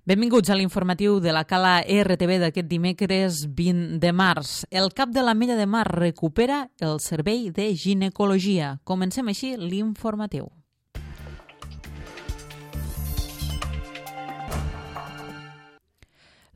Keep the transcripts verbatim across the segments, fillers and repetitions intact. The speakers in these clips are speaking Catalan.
Benvinguts a l'informatiu de la Cala R T V d'aquest dimecres vint de març. El cap de l'Ametlla de Mar recupera el servei de ginecologia. Comencem així l'informatiu.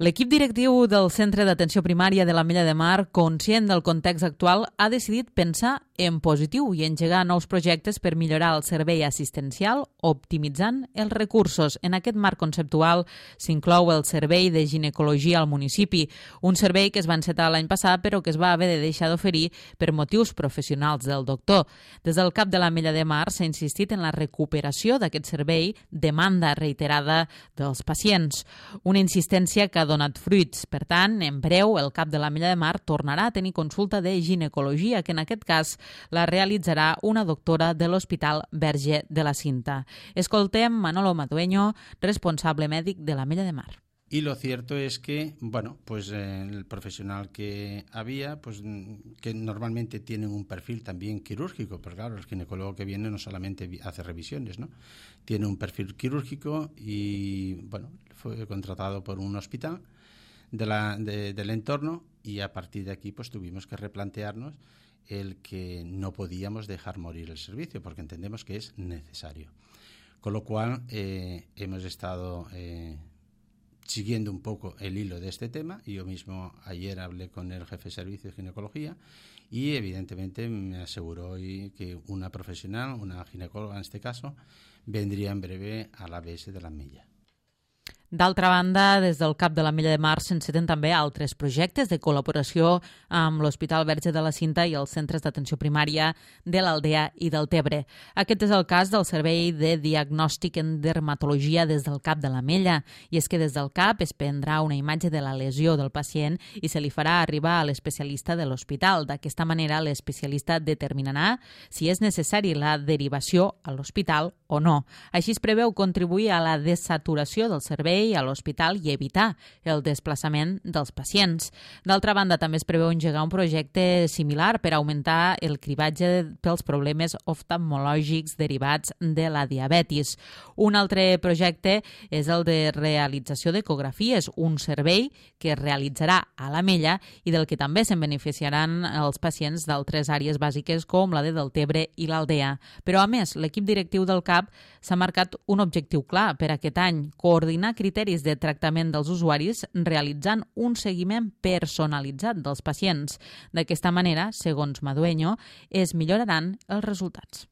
L'equip directiu del Centre d'Atenció Primària de l'Ametlla de Mar, conscient del context actual, ha decidit pensar en positiu i engegar nous projectes per millorar el servei assistencial, optimitzant els recursos. En aquest marc conceptual s'inclou el servei de ginecologia al municipi, un servei que es va encetar l'any passat però que es va haver de deixar d'oferir per motius professionals del doctor. Des del cap de l'Ametlla de Mar s'ha insistit en la recuperació d'aquest servei, demanda reiterada dels pacients. Una insistència que ha donat fruits. Per tant, en breu, el cap de l'Ametlla de Mar tornarà a tenir consulta de ginecologia, que en aquest cas la realitzarà una doctora de l'Hospital Verge de la Cinta. Escoltem Manolo Madueño, responsable mèdic de l'Ametlla de Mar. Y lo cierto es que, bueno, pues eh, el profesional que había, pues que normalmente tienen un perfil también quirúrgico, pero claro, el ginecólogo que viene no solamente hace revisiones, ¿no? Tiene un perfil quirúrgico y, bueno, fue contratado por un hospital de la, de, del entorno y a partir de aquí pues tuvimos que replantearnos el que no podíamos dejar morir el servicio porque entendemos que es necesario. Con lo cual eh, hemos estado eh, siguiendo un poco el hilo de este tema. Yo mismo ayer hablé con el jefe de servicio de ginecología y evidentemente me aseguró hoy que una profesional, una ginecóloga en este caso, vendría en breve a la A B S de l'Ametlla. D'altra banda, des del cap de l'Ametlla de Mar s'enceten també altres projectes de col·laboració amb l'Hospital Verge de la Cinta i els centres d'atenció primària de l'Aldea i del Tebre. Aquest és el cas del Servei de Diagnòstic en Dermatologia des del cap de l'Ametlla, i és que des del cap es prendrà una imatge de la lesió del pacient i se li farà arribar a l'especialista de l'hospital. D'aquesta manera, l'especialista determinarà si és necessari la derivació a l'hospital o no. Així es preveu contribuir a la desaturació del servei a l'hospital i evitar el desplaçament dels pacients. D'altra banda, també es preveu engegar un projecte similar per augmentar el cribatge pels problemes oftalmològics derivats de la diabetis. Un altre projecte és el de realització d'ecografies, un servei que es realitzarà a l'Ametlla i del que també se'n beneficiaran els pacients d'altres àrees bàsiques com la de Deltebre i l'Aldea. Però, a més, l'equip directiu del CAP s'ha marcat un objectiu clar per aquest any: coordinar criteris de tractament dels usuaris realitzant un seguiment personalitzat dels pacients. D'aquesta manera, segons Madueño, es milloraran els resultats.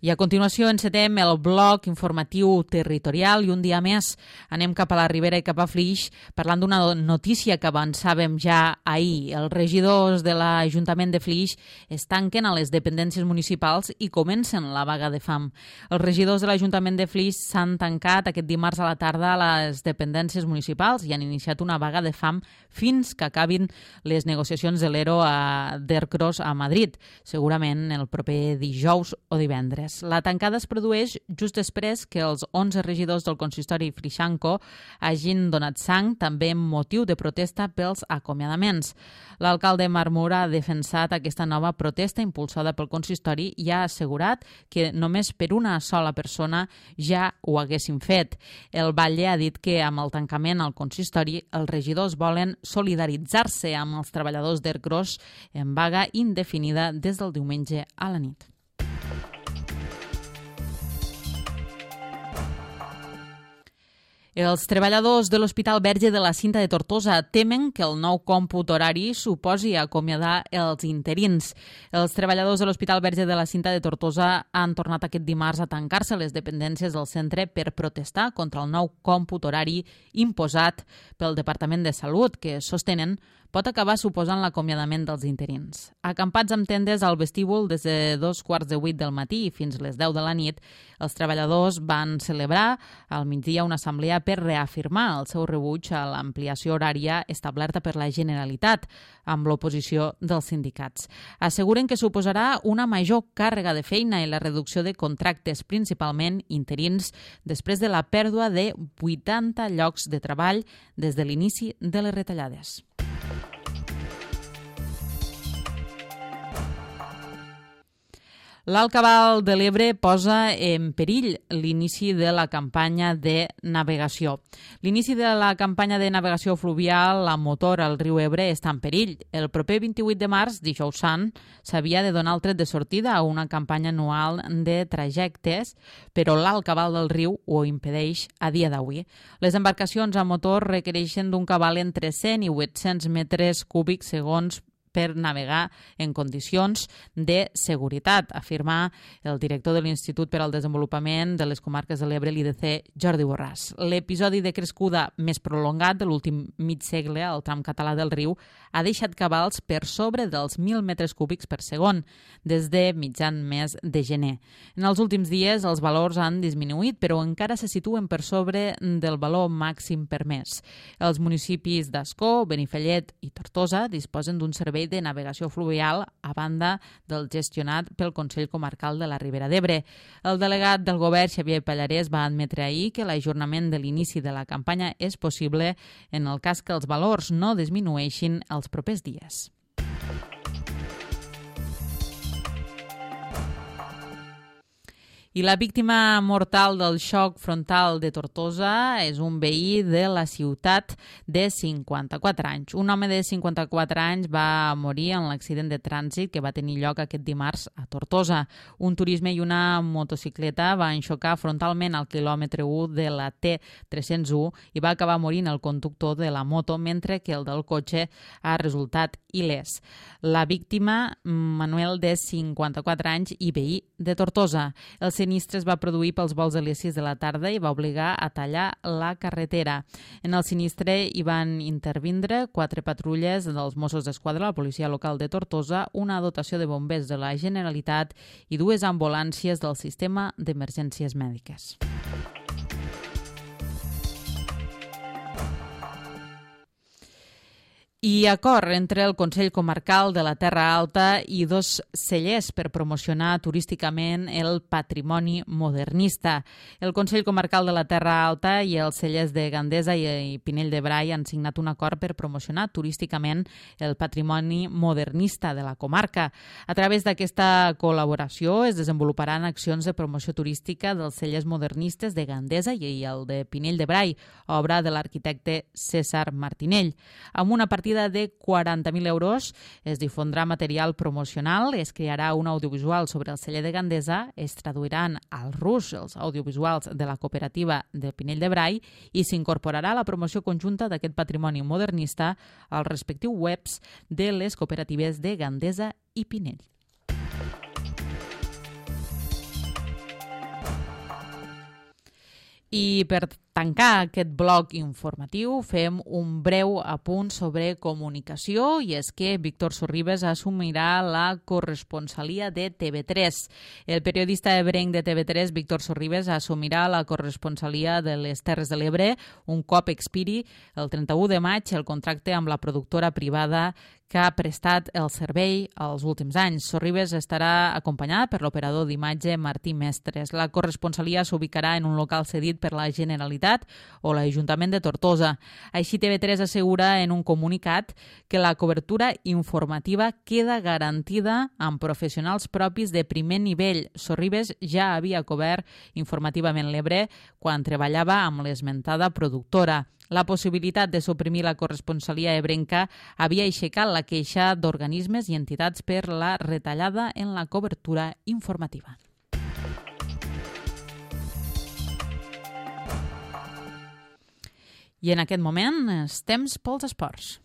I a continuació encetem el bloc informatiu territorial i un dia més anem cap a la Ribera i cap a Flix parlant d'una notícia que avançàvem ja ahir. Els regidors de l'Ajuntament de Flix es tanquen a les dependències municipals i comencen la vaga de fam. Els regidors de l'Ajuntament de Flix s'han tancat aquest dimarts a la tarda a les dependències municipals i han iniciat una vaga de fam fins que acabin les negociacions de l'Ero d'Ercros a Madrid, segurament el proper dijous o divendres. La tancada es produeix just després que els onze regidors del consistori Frixanco hagin donat sang, també amb motiu de protesta pels acomiadaments. L'alcalde Marmur ha defensat aquesta nova protesta impulsada pel consistori i ha assegurat que només per una sola persona ja ho haguessin fet. El Batlle ha dit que amb el tancament al consistori els regidors volen solidaritzar-se amb els treballadors d'Ercros en vaga indefinida des del diumenge a la nit. Els treballadors de l'Hospital Verge de la Cinta de Tortosa temen que el nou còmput horari suposi acomiadar els interins. Els treballadors de l'Hospital Verge de la Cinta de Tortosa han tornat aquest dimarts a tancar-se les dependències del centre per protestar contra el nou còmput horari imposat pel Departament de Salut, que sostenen pot acabar suposant l'acomiadament dels interins. Acampats amb tendes al vestíbul des de dos quarts de vuit del matí fins les deu de la nit, els treballadors van celebrar al migdia una assemblea per reafirmar el seu rebuig a l'ampliació horària establerta per la Generalitat, amb l'oposició dels sindicats. Asseguren que suposarà una major càrrega de feina i la reducció de contractes, principalment interins, després de la pèrdua de vuitanta llocs de treball des de l'inici de les retallades. L'Alt Cabal de l'Ebre posa en perill l'inici de la campanya de navegació. L'inici de la campanya de navegació fluvial a motor al riu Ebre està en perill. El proper vint-i-vuit de març, dijous sant, s'havia de donar el tret de sortida a una campanya anual de trajectes, però l'Alt Cabal del riu ho impedeix a dia d'avui. Les embarcacions a motor requereixen d'un cabal entre cent i vuit-cents metres cúbics segons per navegar en condicions de seguretat, afirma el director de l'Institut per al Desenvolupament de les Comarques de l'Ebre, l'I D C, Jordi Borràs. L'episodi de crescuda més prolongat de l'últim mig segle al tram català del riu ha deixat cabals per sobre dels mil metres cúbics per segon, des de mitjan mes de gener. En els últims dies els valors han disminuït, però encara se situen per sobre del valor màxim permès. Els municipis d'Ascó, Benifallet i Tortosa disposen d'un servei de navegació fluvial a banda del gestionat pel Consell Comarcal de la Ribera d'Ebre. El delegat del govern, Xavier Pallarès, va admetre ahir que l'ajornament de l'inici de la campanya és possible en el cas que els valors no disminueixin els propers dies. I la víctima mortal del xoc frontal de Tortosa és un veí de la ciutat de cinquanta-quatre anys. Un home de cinquanta-quatre anys va morir en l'accident de trànsit que va tenir lloc aquest dimarts a Tortosa. Un turisme i una motocicleta van xocar frontalment al quilòmetre u de la T tres cents u i va acabar morint el conductor de la moto, mentre que el del cotxe ha resultat il·lès. La víctima, Manuel, de cinquanta-quatre anys i veí de Tortosa. El sinistre es va produir pels vols de les sis de la tarda i va obligar a tallar la carretera. En el sinistre hi van intervindre quatre patrulles dels Mossos d'Esquadra, la policia local de Tortosa, una dotació de bombers de la Generalitat i dues ambulàncies del sistema d'emergències mèdiques. I acord entre el Consell Comarcal de la Terra Alta i dos cellers per promocionar turísticament el patrimoni modernista. El Consell Comarcal de la Terra Alta i els cellers de Gandesa i Pinell de Brai han signat un acord per promocionar turísticament el patrimoni modernista de la comarca. A través d'aquesta col·laboració es desenvoluparan accions de promoció turística dels cellers modernistes de Gandesa i el de Pinell de Brai, obra de l'arquitecte César Martinell. Amb una partida de quaranta mil euros es difondrà material promocional, es crearà un audiovisual sobre el celler de Gandesa, es traduiran al rus els audiovisuals de la cooperativa de Pinell de Brai i s'incorporarà la promoció conjunta d'aquest patrimoni modernista als respectius webs de les cooperatives de Gandesa i Pinell. I per tancar aquest bloc informatiu fem un breu apunt sobre comunicació i és que Víctor Sorribes assumirà la corresponsalia de T V tres. El periodista ebrenc de T V tres, Víctor Sorribes, assumirà la corresponsalia de les Terres de l'Ebre un cop expiri el trenta-u de maig el contracte amb la productora privada que ha prestat el servei els últims anys. Sorribes estarà acompanyada per l'operador d'imatge Martí Mestres. La corresponsalia s'ubicarà en un local cedit per la Generalitat o l'Ajuntament de Tortosa. Així T V tres assegura en un comunicat que la cobertura informativa queda garantida amb professionals propis de primer nivell. Sorribes ja havia cobert informativament l'Ebre quan treballava amb l'esmentada productora. La possibilitat de suprimir la corresponsalia ebrenca havia aixecat la queixa d'organismes i entitats per la retallada en la cobertura informativa. I en aquest moment és temps pels esports.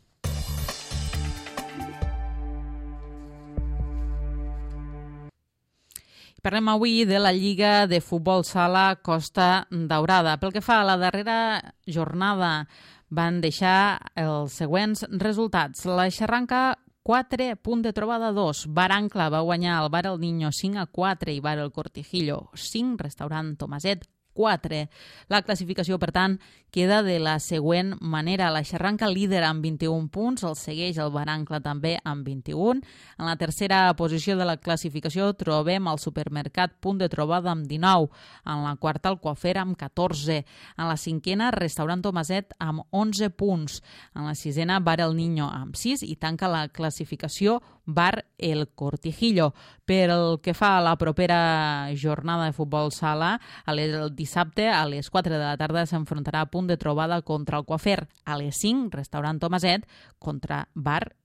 Parlem avui de la Lliga de Futbol Sala Costa Daurada. Pel que fa a la darrera jornada van deixar els següents resultats. La Xarranca quatre, Punt de Trobada dos. Bar Ancla va guanyar el Bar El Niño cinc a quatre i Bar El Cortijillo cinc, Restaurant Tomaset quatre. La classificació, per tant, queda de la següent manera. La Xarranca líder amb vint-i-un punts, el segueix el Bar Ancla també amb vint-i-un. En la tercera posició de la classificació trobem el Supermercat Punt de Trobada amb dinou. En la quarta el Coafer amb catorze. En la cinquena Restaurant Tomaset amb onze punts. En la sisena Bar El Niño amb sis i tanca la classificació Bar El Cortijillo. Pel que fa a la propera jornada de futbol sala, el dissabte a les quatre de la tarda s'enfrontarà a Punt de Trobada contra el Coafer. A les cinc, restaurant Tomaset contra Bar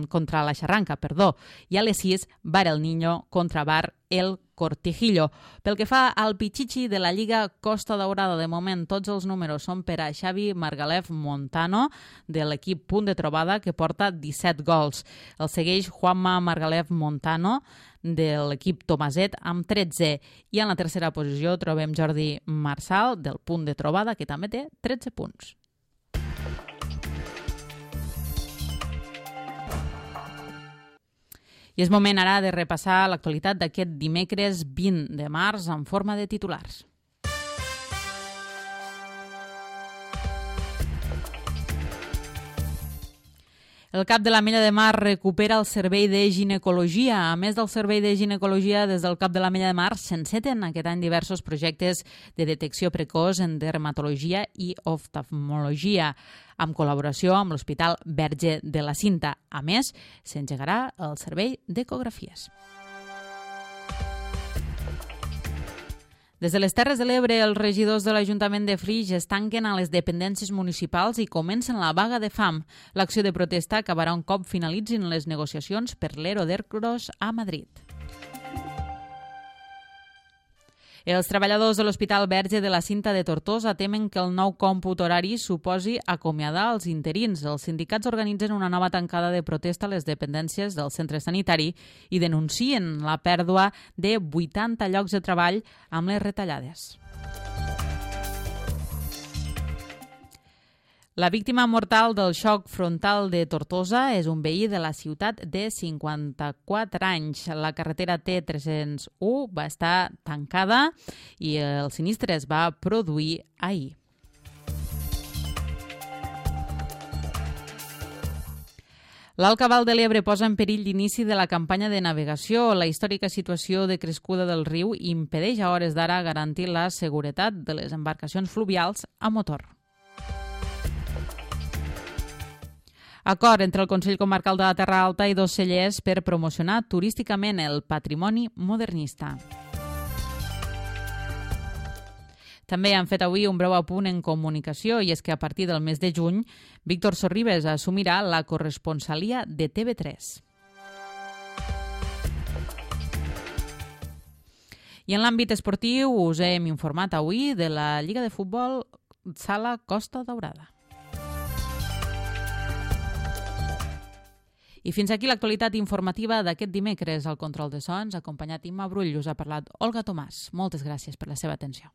contra la Xarranca, perdó, i a les sis, Bar El Niño contra Bar El Cortijillo. Pel que fa al Pichichi de la Lliga Costa Daurada, de moment tots els números són per a Xavi Margalef Montano, de l'equip Punt de Trobada, que porta disset gols. El segueix Juanma Margalef Montano, de l'equip Tomaset, amb tretze. I en la tercera posició trobem Jordi Marsal, del Punt de Trobada, que també té tretze punts. I és moment ara de repassar l'actualitat d'aquest dimecres vint de març en forma de titulars. El Cap de l'Ametlla de Mar recupera el servei de ginecologia. A més del servei de ginecologia, des del Cap de l'Ametlla de Mar s'enceten aquest any diversos projectes de detecció precoç en dermatologia i oftalmologia, amb col·laboració amb l'Hospital Verge de la Cinta. A més, s'engegarà el servei d'ecografies. Des de les Terres de l'Ebre, els regidors de l'Ajuntament de Flix es tanquen a les dependències municipals i comencen la vaga de fam. L'acció de protesta acabarà un cop finalitzin les negociacions per l'Ero d'Ercros a Madrid. Els treballadors de l'Hospital Verge de la Cinta de Tortosa temen que el nou còmput horari suposi acomiadar els interins. Els sindicats organitzen una nova tancada de protesta a les dependències del centre sanitari i denuncien la pèrdua de vuitanta llocs de treball amb les retallades. La víctima mortal del xoc frontal de Tortosa és un veí de la ciutat de cinquanta-quatre anys. La carretera T tres-cents u va estar tancada i el sinistre es va produir ahir. L'Alt Cabal de l'Ebre posa en perill l'inici de la campanya de navegació. La històrica situació de crescuda del riu impedeix a hores d'ara garantir la seguretat de les embarcacions fluvials a motor. Acord entre el Consell Comarcal de la Terra Alta i dos cellers per promocionar turísticament el patrimoni modernista. També han fet avui un breu apunt en comunicació i és que a partir del mes de juny, Víctor Sorribes assumirà la corresponsalia de T V tres. I en l'àmbit esportiu us hem informat avui de la Lliga de Futbol Sala Costa Daurada. I fins aquí l'actualitat informativa d'aquest dimecres. Al control de sons, acompanyat Imma Brull, us ha parlat Olga Tomàs. Moltes gràcies per la seva atenció.